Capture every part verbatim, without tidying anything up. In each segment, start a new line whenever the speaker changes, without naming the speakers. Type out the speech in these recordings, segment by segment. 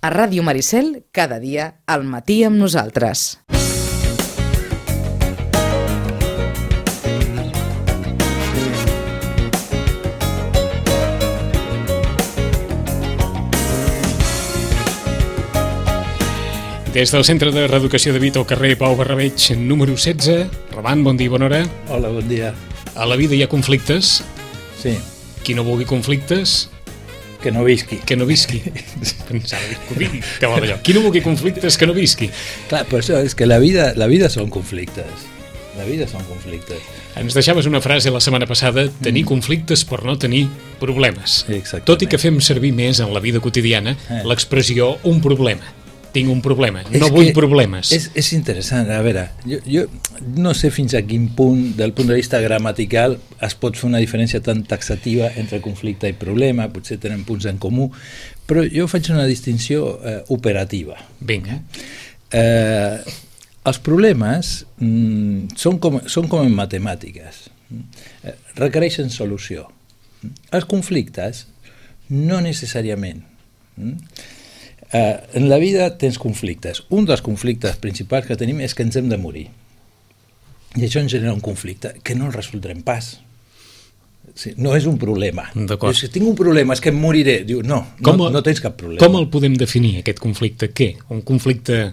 A Ràdio Maricel, cada dia, al matí amb nosaltres.
Des del Centre de Reeducació de Vita al carrer Pau Barrabeig, número setze. Roman, bon dia, bona hora.
Hola, bon dia.
A la vida hi ha conflictes.
Sí.
Qui no vulgui conflictes...
Que no visqui.
Que no visqui. Pensava dir, que digui, que vol allò. Qui no vulgui conflictes, que no visqui.
Clar, per això és que la vida, la vida són conflictes. La vida són conflictes.
Ens deixaves una frase la setmana passada, tenir mm. conflictes per no tenir problemes.
Exactament.
Tot i que fem servir més en la vida quotidiana eh. l'expressió un problema. Tinc un problema,
és
no vull problemes.
És, és interessant, a veure, jo, jo no sé fins a quin punt, del punt de vista gramatical, es pot fer una diferència tan taxativa entre conflicte i problema, potser tenen punts en comú, però jo faig una distinció eh, operativa.
Vinga.
Eh, els problemes mm, són, com, són com en matemàtiques, eh, requereixen solució. Els conflictes, no necessàriament. Mm? Uh, en la vida tens conflictes. Un dels conflictes principals que tenim és que ens hem de morir. I això ens genera un conflicte que no el resoldrem pas. Sí, no és un problema.
D'acord.
Si tinc un problema és que em moriré. Diu, no, no, el, no tens cap problema.
Com el podem definir, aquest conflicte? Què? Un conflicte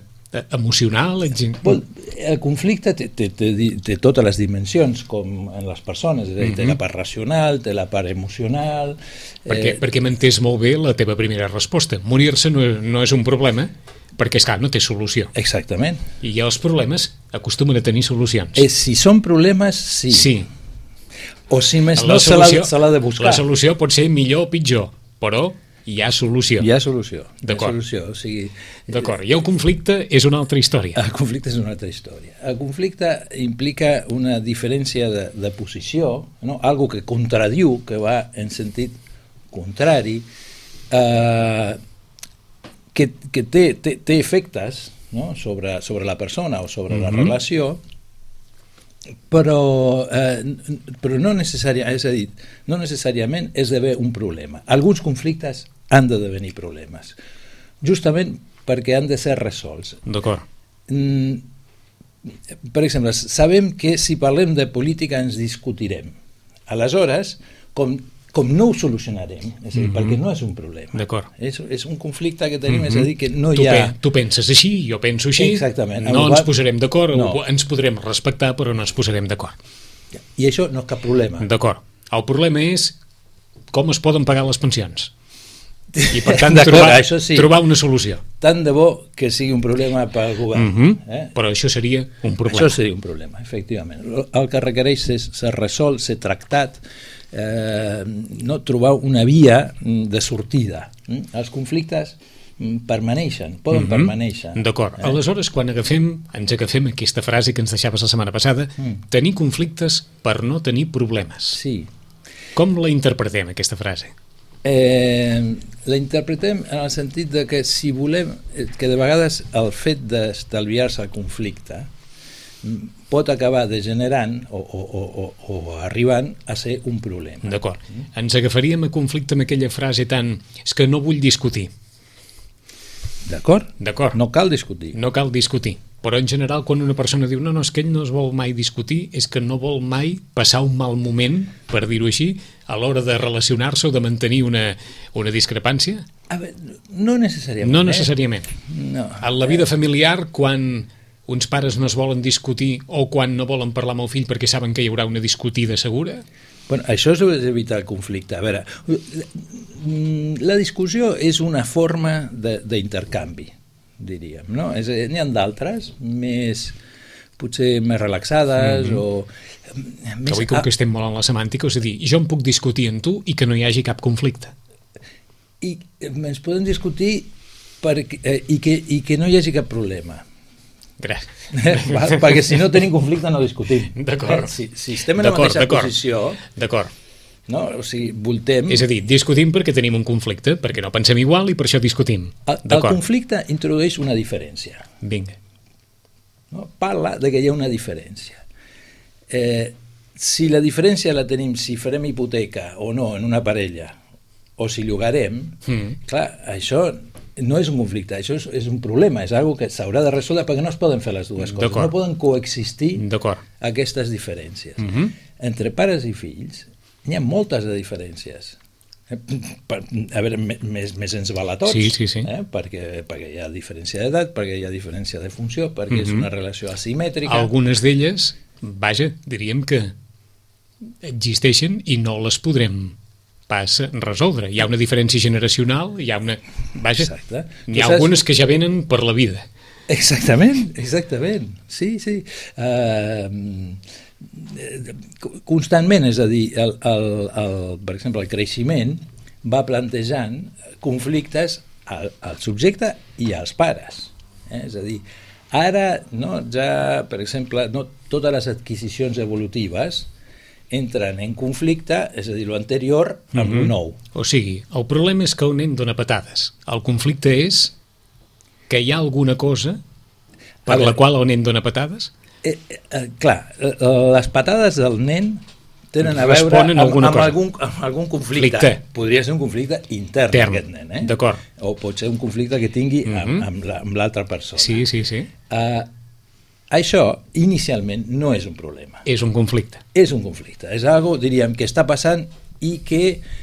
emocional?
Bon, el conflicte té, té, té, té totes les dimensions, com en les persones, és a dir, té la part racional, té la part emocional...
Perquè, eh... perquè m'entès molt bé la teva primera resposta. Morir-se no, no és un problema, perquè, esclar, no té solució.
Exactament.
I els problemes acostumen a tenir solucions.
Eh, si són problemes, sí.
Sí.
O si més
la
no, solució, se l'ha de buscar.
La solució pot ser millor o pitjor, però... hi ha solució.
Hi ha solució.
D'acord.
Solució, o sigui,
D'acord. I el conflicte és una altra història.
El conflicte és una altra història. El conflicte implica una diferència de, de posició, no? Algo que contradiu, que va en sentit contrari, eh, que, que té, té, té efectes, no? sobre, sobre la persona o sobre mm-hmm. la relació, però, eh, però no, necessària, és a dir, no necessàriament és d'haver un problema. Alguns conflictes han de devenir problemes, justament perquè han de ser resolts.
D'acord.
Mm, per exemple, sabem que si parlem de política ens discutirem. Aleshores, com com no ho solucionarem, és a dir, mm-hmm. perquè no és un problema.
D'acord.
És, és un conflicte que tenim, mm-hmm. és a dir, que no
tu
hi ha...
Pe tu penses així, jo penso així,
exactament.
no ens posarem d'acord,
no.
ens podrem respectar, però no ens posarem d'acord.
I això no és cap problema.
D'acord. El problema és com es poden pagar les pensions. I per tant, trobar,
això sí.
trobar una solució.
Tant de bo que sigui un problema pel govern.
Mm-hmm.
eh?
Però això seria un problema.
Això seria un problema, efectivament. El que requereix és ser resolt, ser tractat, Eh, no trobar una via de sortida. Els conflictes permaneixen, poden mm-hmm. permanèixer.
D'acord. Eh? Aleshores, quan agafem, ens agafem aquesta frase que ens deixaves la setmana passada, mm. tenir conflictes per no tenir problemes.
Sí.
Com la interpretem, aquesta frase?
Eh, la interpretem en el sentit de que si volem, que de vegades el fet d'estalviar-se el conflicte pot acabar degenerant o, o, o, o arribant a ser un problema.
D'acord. Ens agafaríem a conflicte amb aquella frase tan... és que no vull discutir.
D'acord?
D'acord.
No cal discutir.
No cal discutir. Però en general, quan una persona diu no, no, és que ell no es vol mai discutir, és que no vol mai passar un mal moment, per dir-ho així, a l'hora de relacionar-se o de mantenir una, una discrepància?
A veure, no necessàriament.
No necessàriament.
Eh? No.
En la vida familiar, quan uns pares no es volen discutir o quan no volen parlar amb el fill perquè saben que hi haurà una discutida segura?
Bueno, això és evitar el conflicte. A veure, la discussió és una forma d'intercanvi, diríem, no? És, n'hi ha d'altres, més, potser més relaxades mm-hmm. o...
Més... Que avui com que estem molt en la semàntica, és a dir, jo em puc discutir amb tu i que no hi hagi cap conflicte.
I ens podem discutir perquè, eh, i, que, i que no hi hagi cap problema.
Va,
perquè si no tenim conflicte no discutim.
D'acord.
Si, si estem en la mateixa posició,
d'acord.
No? O sigui, voltem...
És a dir, discutim perquè tenim un conflicte, perquè no pensem igual i per això discutim.
El, el conflicte introdueix una diferència.
Vinga.
No? Parla de que hi ha una diferència. Eh, si la diferència la tenim si farem hipoteca o no en una parella, o si llogarem, mm. clar, això no és un conflicte, això és, és un problema, és una que s'haurà de resoldre perquè no es poden fer les dues coses, no poden coexistir aquestes diferències. Uh-huh. Entre pares i fills n'hi ha moltes de diferències. A veure, més, més ens val a tots,
sí, sí, sí.
Eh? perquè, perquè hi ha diferència d'edat, perquè hi ha diferència de funció, perquè uh-huh. és una relació asimètrica.
Algunes d'elles, vaja, diríem que existeixen i no les podrem pas resoldre. Hi ha una diferència generacional, hi ha una... Vaja, Exacte. N'hi ha saps... algunes que ja venen per la vida.
Exactament, exactament. Sí, sí. Uh, constantment, és a dir, el, el, el, per exemple, el creixement va plantejant conflictes al, al subjecte i als pares. Eh? És a dir, ara, no, ja, per exemple, no, totes les adquisicions evolutives entren en conflicte, és a dir, l'anterior amb mm-hmm. el nou.
O sigui, el problema és que el nen dona patades. El conflicte és que hi ha alguna cosa per veure, la qual el nen dona patades?
Eh, eh, clar, les patades del nen tenen a veure amb, amb, algun, amb algun conflicte. conflicte. Podria ser un conflicte intern d'aquest nen. Eh?
D'acord.
O pot ser un conflicte que tingui mm-hmm. amb, amb l'altra persona.
Sí, sí, sí.
Uh, això, inicialment, no és un problema.
És un conflicte.
És un conflicte. És algo, diríem, que està passant i que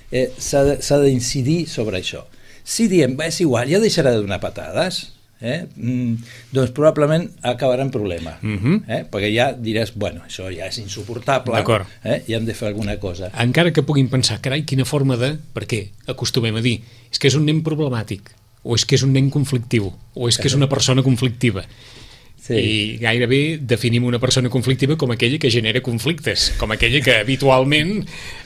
eh, s'ha d'incidir sobre això. Si diem, és igual, ja deixarà de donar patades, eh? mm, doncs probablement acabarà en problema. Mm-hmm. eh? Perquè ja diràs, bueno, això ja és insuportable, eh? i hem de fer alguna cosa.
Encara que puguin pensar, carai, quina forma de... Perquè acostumem a dir, és que és un nen problemàtic, o és que és un nen conflictiu, o és que és una persona conflictiva. Sí. I gairebé definim una persona conflictiva com aquella que genera conflictes, com aquella que habitualment,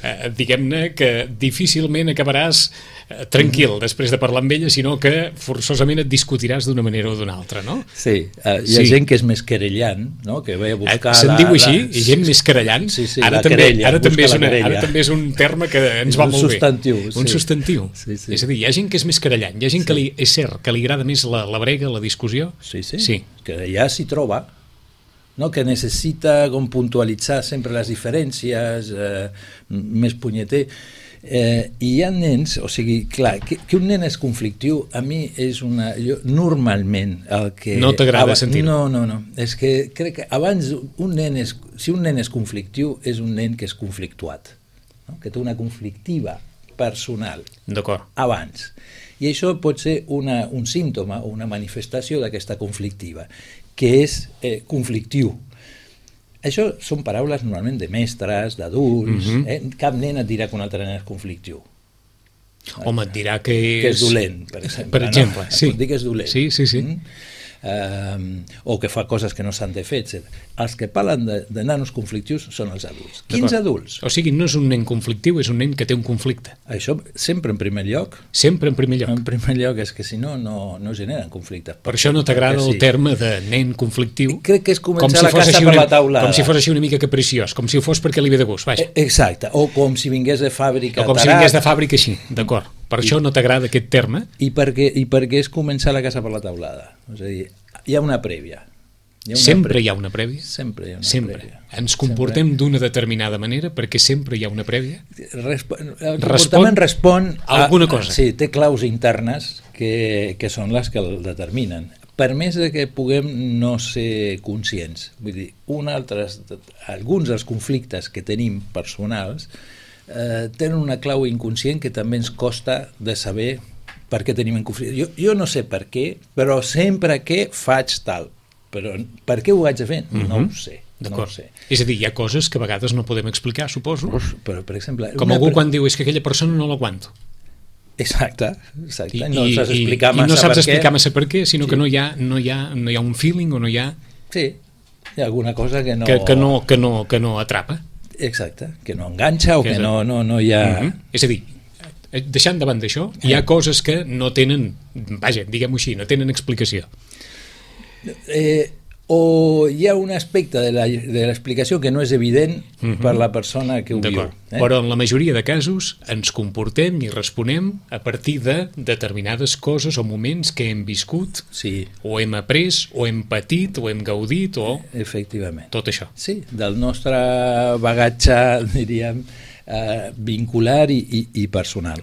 eh, diguem-ne, que difícilment acabaràs eh, tranquil mm-hmm. després de parlar amb ella, sinó que forçosament et discutiràs d'una manera o d'una altra, no?
Sí, eh, hi ha sí. gent que és més querellant, no? Que ve a buscar...
Eh, se'n diu així? La... Gent més querellant?
Sí, sí,
ara,
la
també,
querella,
ara, també és una, ara també és un terme que ens va molt
substantiu,
bé. Un
sí.
substantiu.
Sí, sí.
És a dir, hi ha gent que és més querellant, hi ha gent sí. que li, és cert, que li agrada més la, la brega, la discussió.
Sí, sí, sí. Que ja s'hi troba, no? Que necessita com puntualitzar sempre les diferències, eh, més punyeter, eh, i hi ha nens, o sigui, clar, que, que un nen és conflictiu, a mi és una... Jo, normalment el que...
No t'agrada sentir-ho?
No, no, no, és que crec que abans un nen és... Si un nen és conflictiu, és un nen que és conflictuat, no? Que té una conflictiva personal.
D'acord.
Abans. I això pot ser una, un símptoma o una manifestació d'aquesta conflictiva, que és eh, conflictiu. Això són paraules normalment de mestres, d'adults, mm-hmm. eh? Cap nen et dirà que un altre nen és conflictiu.
Home, et dirà que és...
Que és dolent, per exemple.
Per exemple,
no?
sí.
Et pot dir que és dolent.
Sí, sí, sí.
Mm? Uh, o que fa coses que no s'han de fer, etcètera. Els que parlen de, de nanos conflictius són els adults. Quins adults?
O sigui, no és un nen conflictiu, és un nen que té un conflicte.
Això sempre en primer lloc.
Sempre en primer lloc.
En primer lloc és que si no, no, no generen conflictes.
Per això no t'agrada sí. el terme de nen conflictiu.
Crec que és començar si la casa per
una,
la taulada.
Com si fos així una mica capriciós, com si ho fos perquè li ve de gust, vaja.
Exacte, o com si vingués de fàbrica.
O com tarat. Si vingués de fàbrica així, d'acord. Per I, això no t'agrada aquest terme.
I perquè, I perquè és començar la casa per la taulada. És a dir, hi ha una prèvia.
Hi ha una sempre prèvia. hi ha una prèvia?
Sempre hi ha una
sempre.
prèvia.
Ens comportem d'una determinada manera perquè sempre hi ha una prèvia?
Resp el comportament respon
a alguna cosa.
Sí, té claus internes que, que són les que el determinen. Per més que puguem no ser conscients. Vull dir, un altres, alguns dels conflictes que tenim personals eh, tenen una clau inconscient que també ens costa de saber per què tenim en conflicte. Jo, jo no sé per què, però sempre que faig tal. Però per què ho haig de fer? Mm-hmm. No ho sé. No ho sé.
És a dir, hi ha coses que a vegades no podem explicar, suposo.
Però, per exemple...
Com algú pre... quan diu, és que aquella persona no l'aguanto.
Exacte, exacte.
I,
no saps explicar
i,
massa
i no saps
per
explicar
què.
massa per què, sinó
sí.
que no hi, ha, no, hi ha, no hi ha un feeling o no hi ha...
Sí, hi ha alguna cosa que no...
Que, que, no, que, no, que no atrapa.
Exacte, que no enganxa o que, que no, no, no hi ha...
Mm-hmm. És a dir, deixant davant d'això, hi ha coses que no tenen, vaja, diguem-ho així, no tenen explicació.
Eh, o hi ha un aspecte de l'explicació que no és evident mm-hmm. per la persona que ho viu.
Eh? Però en la majoria de casos ens comportem i responem a partir de determinades coses o moments que hem viscut,
sí.
o hem après, o hem patit, o hem gaudit, o...
Efectivament.
Tot això.
Sí, del nostre bagatge, diríem, eh, vincular i, i, i personal.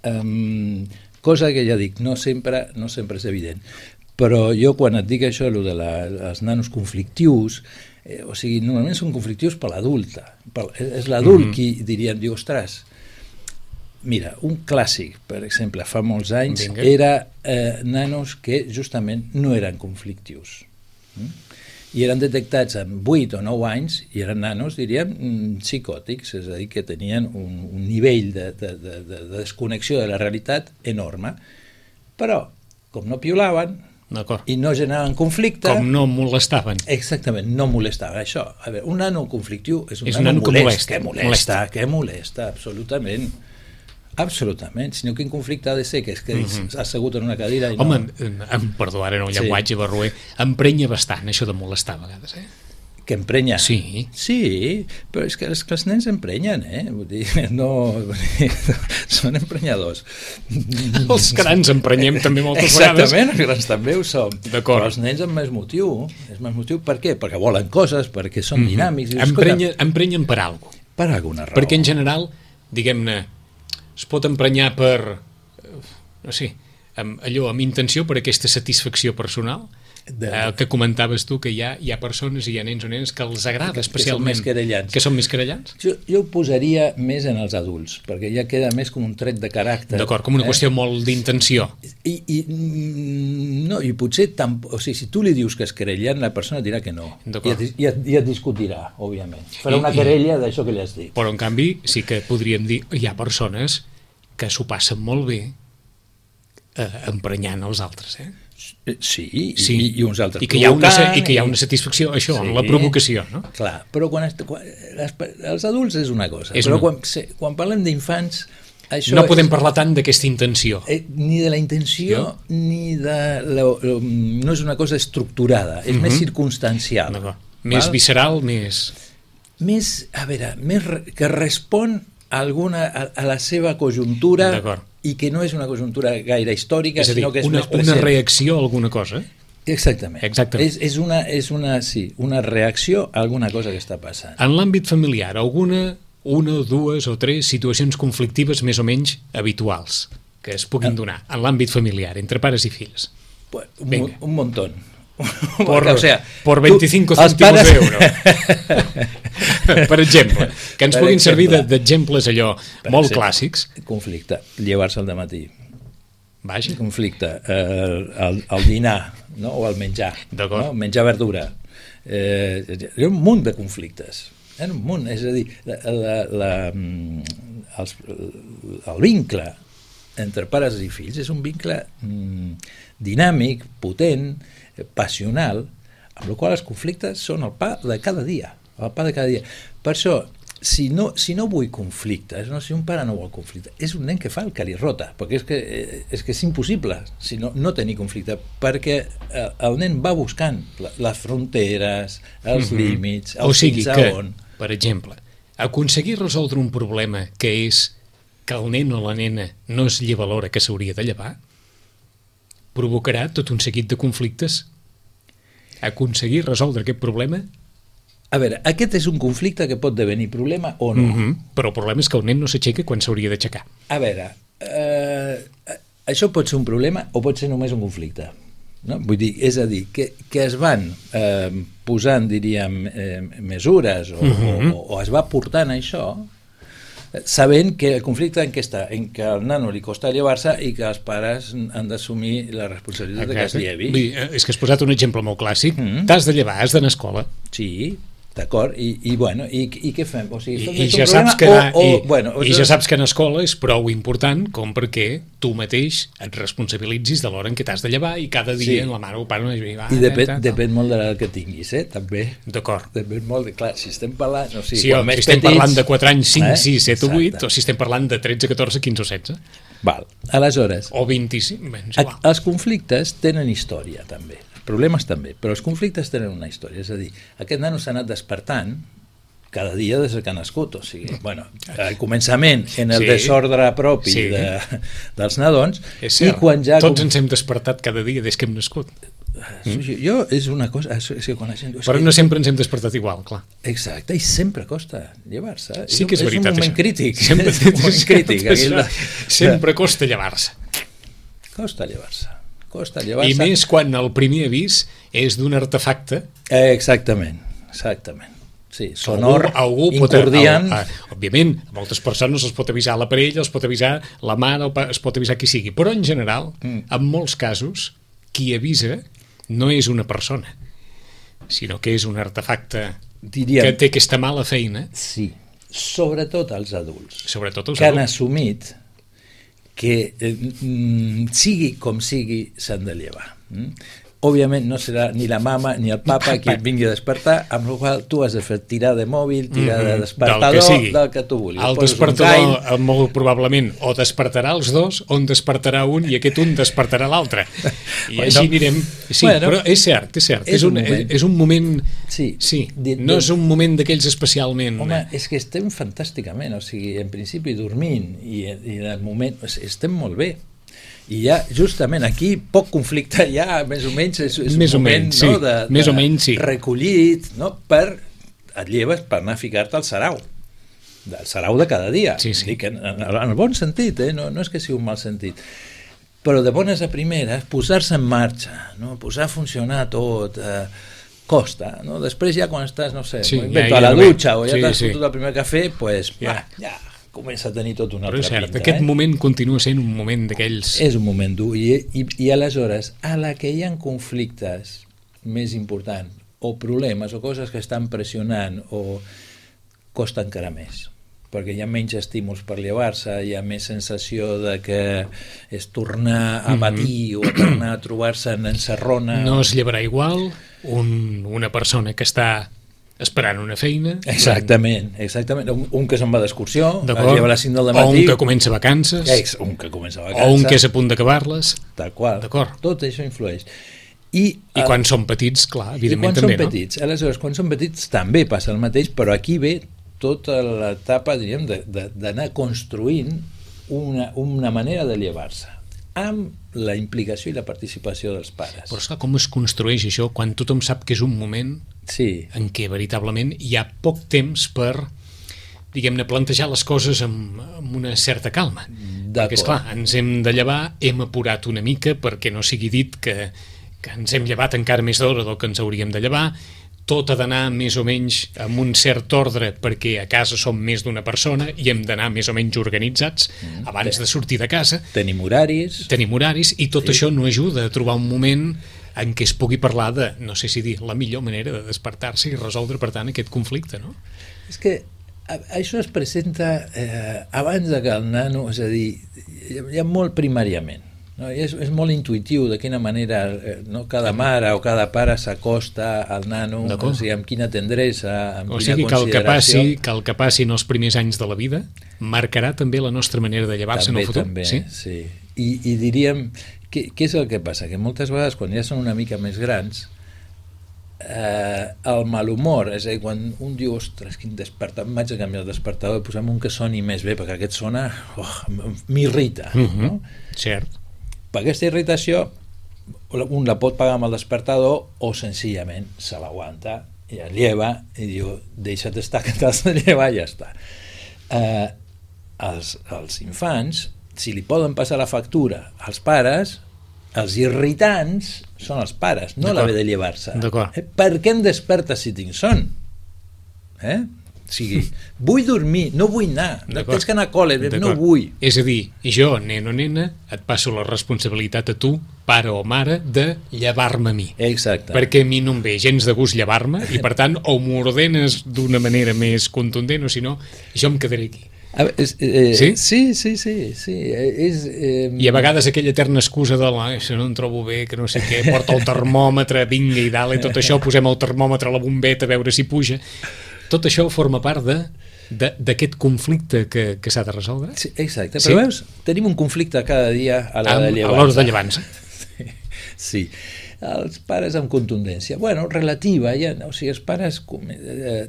Um, cosa que ja dic, no sempre, no sempre és evident. Però jo quan et dic això, allò de la, els nanos conflictius, eh, o sigui, normalment són conflictius per l'adulta. Per, és l'adult mm-hmm. qui diria, diu, ostres, mira, un clàssic, per exemple, fa molts anys, Vinga. era eh, nanos que justament no eren conflictius. Mm? I eren detectats amb vuit o nou anys i eren nanos, diríem, psicòtics, és a dir, que tenien un, un nivell de, de, de, de desconnexió de la realitat enorme. Però, com no piolaven i no generaven conflicte...
Com no molestaven.
Exactament, no molestaven. Això, a veure, un nano conflictiu és un,
és un nano, nano
molest,
que molesta.
Que molesta, molesta, que molesta, absolutament. Absolutament, sinó quin conflicte ha de ser, que és que mm-hmm. has assegut en una cadira i no...
Home, em, em perdó, ara en un llenguatge sí. barroer, emprenya bastant això de molestar a vegades, eh?
Que emprenya?
Sí.
Sí, però és que els, que els nens emprenyen, eh? Vull dir, no... Vull dir, són emprenyadors.
Els grans emprenyem també moltes
Exactament,
vegades.
Exactament, els grans també ho som.
D'acord.
Però els nens amb més motiu. És més motiu per què? Perquè volen coses, perquè són mm-hmm. dinàmics. I
Emprenya, empenyen per alguna cosa.
Per alguna raó.
Perquè en general, diguem-ne, es pot emprenyar per, no sé, amb, allò, amb intenció per aquesta satisfacció personal, de... eh, que comentaves tu, que hi ha, hi ha persones i hi ha nens o nenes que els agrada que, especialment.
Que són més querellants.
Que són més querellants?
Jo, jo ho posaria més en els adults, perquè ja queda més com un tret de caràcter.
D'acord, com una eh? qüestió molt d'intenció.
I, i, no, i potser, tam... o sigui, si tu li dius que és querellant, la persona dirà que no. I et, i, et, i et discutirà, òbviament. Farà I, una querella d'això que li has dit.
Però, en canvi, sí que podríem dir, hi ha persones que s'ho passen molt bé eh, emprenyant els altres, eh?
Sí, sí. I, i uns altres
I que, hi ha una, i que hi ha una satisfacció, això, sí, en la provocació, no?
Clar, però quan, quan les, els adults és una cosa,
és
però
una...
quan, quan parlem d'infants... Això
no podem
és,
parlar tant d'aquesta intenció.
Eh, ni de la intenció, jo? ni de... La, no és una cosa estructurada, és uh-huh. més circumstancial.
Més val? Visceral, més...
Més, a veure, més que respon a, alguna, a, a la seva conjuntura... i que no és una conjuntura gaire històrica,
és a dir,
sinó que és
una,
més present.
Una reacció a alguna cosa.
Exactament.
Exactament.
És, és, una, és una, sí, una reacció a alguna cosa que està passant.
En l'àmbit familiar, alguna, una, dues o tres situacions conflictives més o menys habituals que es puguin donar en l'àmbit familiar, entre pares i fills?
Pues, un, un montón.
Por,
o sea,
por veinticinco cèntimos pares... d'euro. Per exemple, que ens per puguin exemple, servir d'exemples allò molt exemple, clàssics.
Conflicte, llevar-se al dematí.
Vaja.
Conflicte, eh, el, el dinar, no? O el menjar, no? Menjar verdura. Eh, hi ha un munt de conflictes. Hi ha un munt, és a dir, la, la, la, els, el vincle entre pares i fills és un vincle mm, dinàmic, potent, passional, amb el qual els conflictes són el pa de cada dia, el pa de cada dia. Per això, si no, si no vull conflictes, no, si un pare no vol conflicte, és un nen que fa el que li rota, perquè és que, és que és impossible si no, no tenir conflicte, perquè el nen va buscant les fronteres, els mm-hmm. límits, els
o sigui
fins
que,
a on...
per exemple, aconseguir resoldre un problema que és que el nen o la nena no es lleva a l'hora que s'hauria de llevar, provocarà tot un seguit de conflictes. Aconseguir resoldre aquest problema...
A veure, aquest és un conflicte que pot devenir problema o no.
Mm-hmm. Però el problema és que el nen no s'aixeca quan s'hauria d'aixecar.
A veure, eh, això pot ser un problema o pot ser només un conflicte. No? Vull dir, és a dir, que, que es van eh, posant, diríem, eh, mesures o, mm-hmm. o, o es va portant això... sabent que el conflicte en què està, en què al nano li costa llevar-se i que els pares han d'assumir la responsabilitat de que es llevi.
Vull dir, és que has posat un exemple molt clàssic. Mm. T'has de llevar, has d'anar a escola.
Sí, d'acord, i, i bueno, i, i què fem? O sigui,
I, i, ja saps que anar,
o, o,
i,
bueno, o
i ja saps que anar a escola és prou important com perquè tu mateix et responsabilitzis de l'hora en què t'has de llevar i cada dia sí. en la mare o pare no va,
i depèn, tal, depèn molt de l'edat que tinguis, eh, també.
D'acord.
Depèn molt, de, clar, si estem parlant... O sigui,
sí, o,
més
si estem
petits,
parlant de quatre anys, cinc,
eh?
sis, set o vuit, o si estem parlant de tretze, catorze, quinze o setze.
Val, aleshores...
O vint-i-cinc, ben,
a, els conflictes tenen història, també. Els problemes també, però els conflictes tenen una història. És a dir, aquest nano s'ha anat despertant cada dia des que ha nascut, o sigui, bueno, al començament en el sí, desordre propi sí. de, dels nadons, i quan ja...
Tots ens hem despertat cada dia des que hem nascut.
Mm? Jo, és una cosa... És que quan la gent,
però no sempre ens hem despertat igual, clar.
Exacte, i sempre costa llevar-se.
Sí que és, és veritat,
un moment
això.
crític.
Sempre,
és un moment crític.
Això, sempre costa llevar-se.
costa llevar-se. Costa llevar-se.
I més quan el primer avís és d'un artefacte.
Eh, exactament, exactament. Sí, sonor,
algú, algú
incordiant.
Pot, a, a, òbviament, a moltes persones els pot avisar la parella, els pot avisar la mare, es pot avisar qui sigui, però en general, mm. en molts casos, qui avisa no és una persona, sinó que és un artefacte Diríem, que té aquesta mala feina.
Sí, sobretot els adults,
sobretot els
que
adults.
han assumit que eh, sigui com sigui s'han de llevar. Mm? Òbviament no serà ni la mama ni el papa qui et vingui a despertar, amb la qual tu has de fer tirar de mòbil, tirar mm -hmm. de despertador, del que, del que tu vulguis.
El despertador molt probablement o despertarà els dos o en despertarà un i aquest un despertarà l'altre. I bueno, així anirem... Sí, bueno, però és cert, és cert. És, és, un, un és, és un moment... Sí, sí de, de, no és un moment d'aquells especialment...
Home, és que estem fantàsticament, o sigui, en principi dormint i, i en el moment... estem molt bé. I ja, justament, aquí poc conflicte ja, més o menys, és, és
més
un moment
menys,
no,
sí.
de, de
més o menys, sí.
recollit, no, per, et lleves per anar a ficar-te al sarau, del sarau de cada dia.
Sí, sí.
Dic, en, en, en el bon sentit, eh? no, no és que sigui un mal sentit, però de bones a primeres, posar-se en marxa, no? Posar a funcionar tot, eh, costa, no? Després ja quan estàs, no sé,
sí,
ja,
ja,
a la
ja
dutxa o ja
sí,
t'has
sí.
fotut el primer cafè, pues,
ja.
va, ja comença a tenir tot una
però
altra
cert,
pinta.
Aquest
eh?
moment continua sent un moment d'aquells...
És un moment dur, i, i, i aleshores, a la que hi ha conflictes més importants, o problemes, o coses que estan pressionant, o costa encara més, perquè hi ha menys estímuls per llevar-se, hi ha més sensació de que és tornar a patir mm-hmm. o tornar a trobar-se en encerrona.
No es llevarà igual un, una persona que està esperant una feina.
Exactament, exactament. Un, un que se'n va d'excursió, es lleva a les cinc del matí.
O un que comença vacances.
Ex, un que comença vacances.
O un que és a punt d'acabar-les.
Tal qual. Tot això influeix. I,
I quan són petits, clar, evidentment també,
no? I quan són petits. Aleshores, quan són petits també passa el mateix, però aquí ve tota l'etapa, diríem, d'anar construint una, una manera de llevar-se amb la implicació i la participació dels pares.
Però esclar, com es construeix això quan tothom sap que és un moment
sí.
en què veritablement hi ha poc temps per, diguem-ne, plantejar les coses amb, amb una certa calma. Perquè, esclar, ens hem de llevar, hem apurat una mica perquè no sigui dit que, que ens hem llevat encara més d'hora del que ens hauríem de llevar, tot ha d'anar més o menys amb un cert ordre perquè a casa som més d'una persona i hem d'anar més o menys organitzats mm, abans de sortir de casa.
Tenim horaris.
Tenim horaris i tot sí. això no ajuda a trobar un moment en què es pugui parlar de, no sé si dir, la millor manera de despertar-se i resoldre, per tant, aquest conflicte, no?
És que això es presenta eh, abans de que el nano, és a dir, ja molt primàriament. No? És, és molt intuïtiu de quina manera eh, no? cada mare o cada pare s'acosta al nano, o sigui, amb quina tendresa, amb
o
quina
sigui,
consideració.
Que el que, passi, que el que passi en els primers anys de la vida marcarà també la nostra manera de llevar-se en el futur.
També,
sí?
sí. I, i diríem, què, què és el que passa? Que moltes vegades quan ja són una mica més grans, eh, el malhumor, és a dir, quan un diu, ostres, quin despertador, em vaig a canviar el despertador i posem un que soni més bé, perquè aquest sona, oh, m'irrita.
Mm-hmm.
No?
Cert.
Per aquesta irritació un la pot pagar amb el despertador o senzillament se l'aguanta i el lleva i diu deixa't estar que t'has de llevar i ja està. Eh, els, els infants, si li poden passar la factura als pares, els irritants són els pares, no l'haver de llevar-se. Eh, per què em desperta si tinc son? Eh? O sigui, vull dormir, no vull anar, no tens que anar a col·le, no vull.
És a dir, jo, nen o nena, et passo la responsabilitat a tu, pare o mare, de llevar-me a mi.
Exacte.
Perquè a mi no em ve gens de gust llevar-me i, per tant, o m'ordenes d'una manera més contundent o, si no, jo em quedaré aquí.
A veure, és, eh,
sí?
Sí, sí, sí, sí. És, eh...
I a vegades aquella eterna excusa de la, això no em trobo bé, que no sé què, porta el termòmetre, vinga i dalt, i tot això, posem el termòmetre a la bombeta a veure si puja. Tot això forma part de d'aquest conflicte que, que s'ha de resoldre.
Sí, exacte, però sí? Veus, tenim un conflicte cada dia a l'hora de llevar-se.
A l'hora de llevar-se.
Sí, sí. Els pares amb contundència, bueno, relativa, ja, o sigui, els pares eh,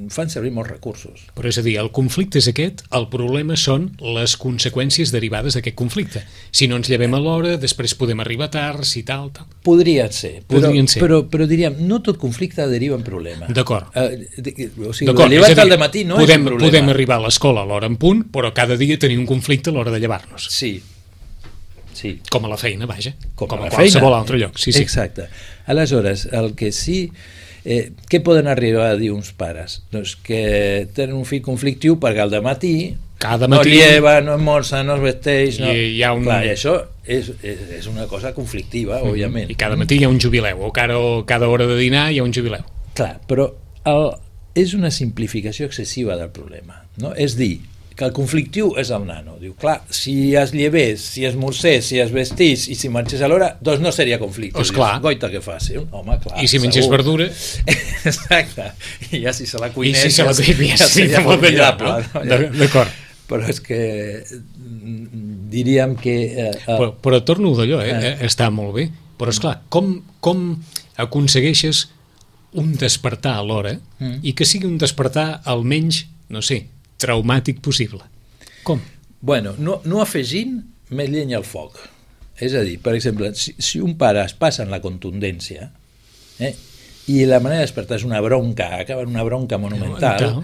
fan servir molts recursos.
Però és a dir, el conflicte és aquest, el problema són les conseqüències derivades d'aquest conflicte. Si no ens llevem a l'hora, després podem arribar tard, si tal, tal.
Podrien ser, però,
Podrien ser.
però, però diríem, no tot conflicte deriva en problema.
D'acord.
Eh, o sigui, llevar-te al dematí no
podem,
és un problema.
Podem arribar a l'escola a l'hora en punt, però cada dia tenir un conflicte a l'hora de llevar-nos.
Sí. Sí.
Com a la feina, vaja.
Com,
com a,
a
qualsevol
feina.
altre lloc. Sí, sí.
Exacte. Aleshores, el que sí... Eh, què poden arribar a dir uns pares? Doncs que tenen un fill conflictiu perquè al dematí
Cada
no
matí...
lleva, no esmorza, no es vesteix... No...
I hi ha un...
Clar, i això és, és, és una cosa conflictiva, mm-hmm. òbviament.
I cada matí hi ha un jubileu, o cada, cada hora de dinar hi ha un jubileu.
Clar, però el, és una simplificació excessiva del problema. No? És dir, que el conflictiu és el nano. Diu, clar, si es llevés, si es morcés, si es vestís i si marxés a l'hora, doncs no seria conflicte.
Pues clar.
Dius, goita que faci. Home, clar,
I si mengés
segur.
verdura...
Exacte. I ja si se la cuinés...
I si se la cuinés, ja seria formidable. No? No? D'acord.
Però és que diríem que... Eh, eh,
però, però torno d'allò, eh? eh? Està molt bé. Però, esclar, com, com aconsegueixes un despertar a l'hora mm. i que sigui un despertar almenys, no sé, traumàtic possible? Com?
Bueno, no, no afegint més llenya al foc. És a dir, per exemple, si, si un pare es passa en la contundència eh, i la manera de despertar és una bronca, acaba en una bronca monumental,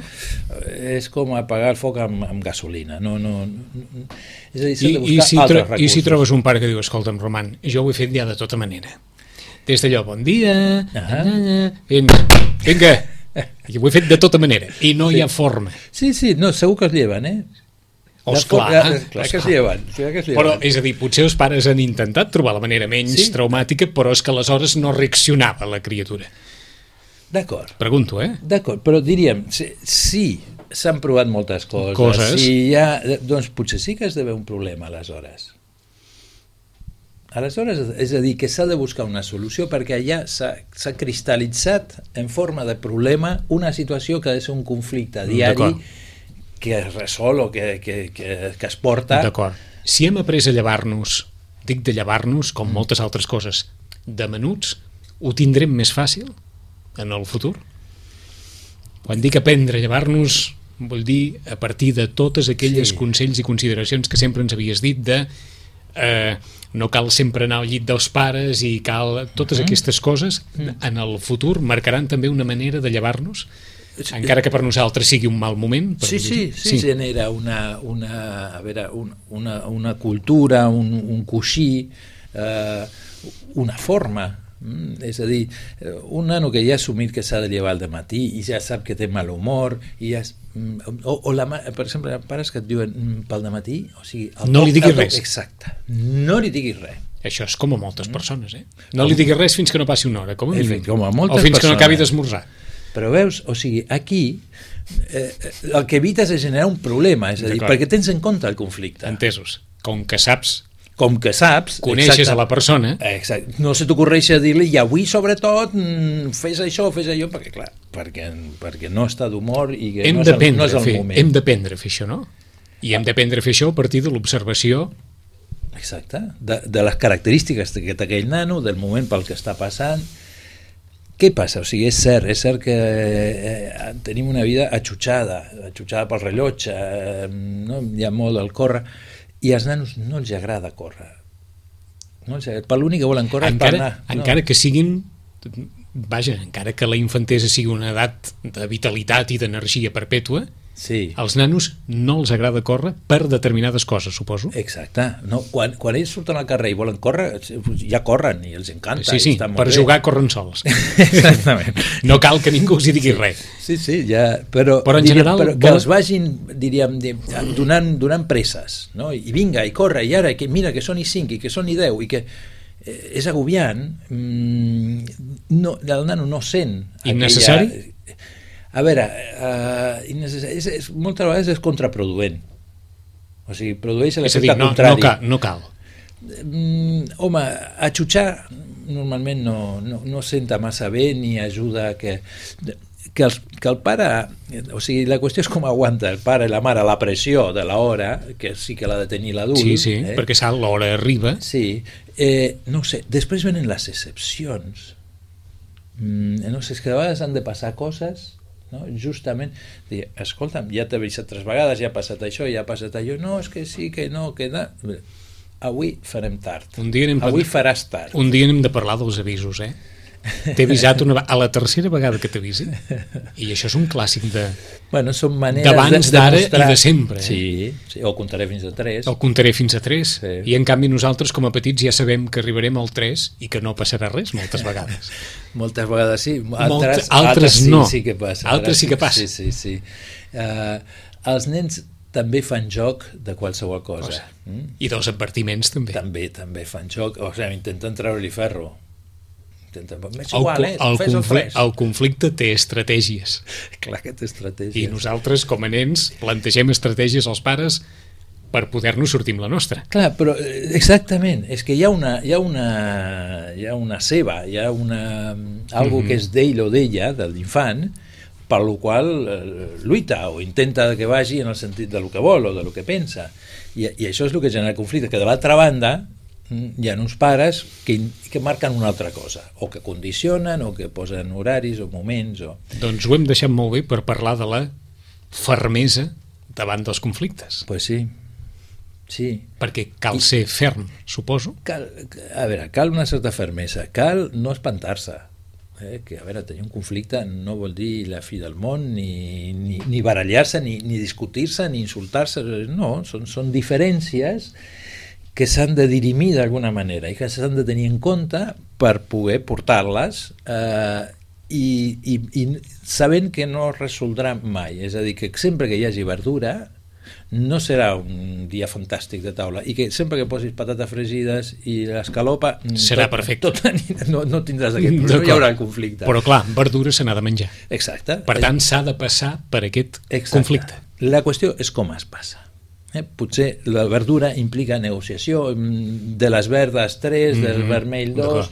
és com apagar el foc amb, amb gasolina. No, no, no, és a dir, s'ha de buscar
I, i, si
altres
tro
recursos.
I si trobes un pare que diu, escolta'm, Roman, jo ho he fet ja de tota manera. Des d'allò, bon dia, uh -huh. vinga, vinga, i ho he fet de tota manera, i no sí. hi ha forma.
Sí, sí, no, segur que es lleven, eh?
Osclar,
ja, clar que es lleven, clar que es lleven.
Però, és a dir, potser els pares han intentat trobar la manera menys sí? traumàtica, però és que aleshores no reaccionava la criatura.
D'acord.
Pregunto, eh?
D'acord, però diríem, sí, sí s'han provat moltes coses.
Coses.
Si hi ha, doncs potser sí que es deu un problema, aleshores. Aleshores, és a dir, que s'ha de buscar una solució perquè allà s'ha cristal·litzat en forma de problema una situació que ha de ser un conflicte diari que es resol o que, que, que, que es porta...
D'acord. Si hem après a llevar-nos, dic de llevar-nos, com moltes altres coses, de menuts, ho tindrem més fàcil en el futur? Quan dic aprendre a llevar-nos, vull dir a partir de totes aquelles sí. consells i consideracions que sempre ens havies dit de eh, no cal sempre anar al llit dels pares i cal... Totes uh-huh. aquestes coses uh-huh. en el futur marcaran també una manera de llevar-nos? Encara que per nosaltres sigui un mal moment. Per
sí, sí, sí, sí, genera una, una, a veure, un, una, una cultura, un, un coixí, eh, una forma. Mm, és a dir, un nano que ja ha assumit que s'ha de llevar al dematí i ja sap que té mal humor, i ja, o, o la, per exemple, pares que et diuen pel dematí, o sigui...
No li diguis res.
Exacte, no li diguis res.
Això és com a moltes persones, eh? No li diguis res fins que no passi una hora, com a mínim.
Com a moltes
o fins
persones.
que no acabi d'esmorzar.
Però veus, o sigui, aquí eh, el que evites és generar un problema, és a dir, perquè tens en compte el conflicte.
Entesos. Com que saps...
Com que saps...
Coneixes exacte, a la persona...
Exacte. No se t'ocorreix dir-li, i avui, sobretot, fes això, fes allò, perquè, clar, perquè, perquè no està d'humor i que
hem
no és, el, no és el
fer,
moment.
Hem d'aprendre a fer això, no? I hem d'aprendre a fer això a partir de l'observació...
Exacte. De, de les característiques que té aquell nano, del moment pel que està passant... Què passa? O sigui, és cert, és cert que eh, tenim una vida atxutxada, atxutxada pel rellotge, eh, no? Hi ha molt al córrer, i als nanos no els agrada córrer. No els agrada. Per l'únic que volen córrer
encara,
és per anar.
Encara
no.
que siguin... Vaja, encara que la infantesa sigui una edat de vitalitat i d'energia perpètua,
sí.
als nanos no els agrada córrer per determinades coses, suposo.
Exacte. No, quan, quan ells surten al carrer i volen córrer, ja corren i els encanta.
Sí, sí, per
bé.
jugar corren sols.
Exactament.
No cal que ningú els hi digui
sí.
res.
Sí, sí, ja, però,
però en
diríem,
general...
Però que
vol...
els vagin, diríem, donant, donant presses, no? I vinga, i corre, i ara, que mira, que són i cinc, i que són i deu, i que eh, és agobiant, mm, no, el nano no sent...
Innecessari?
Aquella... A veure, uh, és, és, moltes vegades és contraproduent. O sigui, produeix l'efecte
no,
contrari.
No cal. No cal.
Mm, home, atxutxar normalment no, no, no senta massa bé ni ajuda que... Que, els, que el pare, o sigui, la qüestió és com aguanta el pare i la mare la pressió de l'hora, que sí que l'ha de tenir l'adult.
Sí, sí,
eh?
perquè sap l'hora arriba.
Sí, eh, no sé, després venen les excepcions. Mm, no sé, és que a vegades han de passar coses, no? Justament, dir, escolta'm, ja t'he avisat tres vegades, ja ha passat això, ja ha passat allò, no, és que sí, que no, que no... Avui farem tard,
un dia anem
avui
per...
faràs tard.
Un dia hem de parlar dels avisos, eh? T'he avisat una, a la tercera vegada que t'avisi. I això és un clàssic de...
Bueno, són maneres
d'abans,
de,
d'ara
demostrar...
i de sempre. Eh?
Sí, sí, o comptaré fins a tres.
El comptaré fins a tres.
Sí.
I en canvi nosaltres, com a petits, ja sabem que arribarem al tres i que no passarà res moltes vegades.
Moltes vegades sí. Altres,
Molt, altres,
altres
no.
Sí, sí que passa.
Altres sí que passa.
Sí, sí, sí. Uh, els nens també fan joc de qualsevol cosa. cosa. Mm?
I dels advertiments també.
També, també fan joc. O sigui, intenten treure-li ferro. Intenten... És
El,
igual, eh?
el,
Fes el,
conflicte, el conflicte té estratègies.
Clar que té estratègies.
I nosaltres, com a nens, plantegem estratègies als pares per poder-nos sortir amb la nostra.
Clar, però exactament, és que hi ha una, hi ha una, hi ha una ceba, hi ha una, algo mm-hmm. que és d'ell o d'ella, de l'infant, per lo qual eh, lluita o intenta que vagi en el sentit de lo que vol o de lo que pensa. I, i això és el que genera conflicte, que de l'altra banda hi ha uns pares que, que marquen una altra cosa, o que condicionen, o que posen horaris o moments. O...
Doncs ho hem deixat molt bé per parlar de la fermesa davant dels conflictes.
Pues sí, sí.
Perquè cal ser ferm, suposo.
Cal, a veure, cal una certa fermesa, cal no espantar-se. Eh, que a veure, tenir un conflicte no vol dir la fi del món, ni, ni, ni barallar-se, ni, ni discutir-se, ni insultar-se, no, són, són diferències que s'han de dirimir d'alguna manera i que s'han de tenir en compte per poder portar-les eh, i, i, i sabent que no es resoldrà mai, és a dir, que sempre que hi hagi verdura no serà un dia fantàstic de taula i que sempre que posis patates fregides i l'escalopa
serà
tot,
perfecte,
tot, no, no tindràs aquest problema, no hi haurà conflicte,
però clar, verdura se n'ha de menjar.
Exacte.
Per tant s'ha de passar per aquest Exacte. conflicte.
La qüestió és com es passa. Eh, potser la verdura implica negociació, de les verdes tres, mm-hmm. del vermell dos,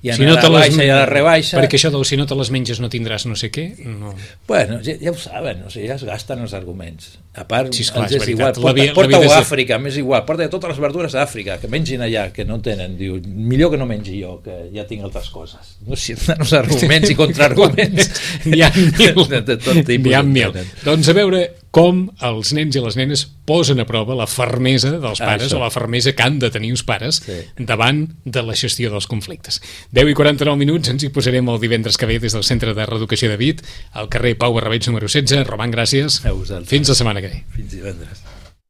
i anar si no a la baixa les... i a la rebaixa.
Perquè això del si no te les menges no tindràs no sé què, no.
Bueno, ja, ja ho saben, o sigui, ja es gasten els arguments. A part,
sí, esclar,
és, és igual, porta, porta-ho a Àfrica, m'és igual, porta totes les verdures a Àfrica, que mengin allà, que no tenen, diu, millor que no mengi jo, que ja tinc altres coses. No sé, els arguments i contraarguments.
N'hi ha mil.
De, de tot tipus.
N'hi ha mil. Doncs a veure com els nens i les nenes posen a prova la fermesa dels pares, ah, o la fermesa que han de tenir uns pares sí. davant de la gestió dels conflictes. deu i quaranta-nou minuts, ens hi posarem el divendres que ve des del Centre de Reeducació de Vic, al carrer Pau Barrabeig número setze. Roman, gràcies.
A vosaltres.
Fins la setmana que ve.
Fins divendres.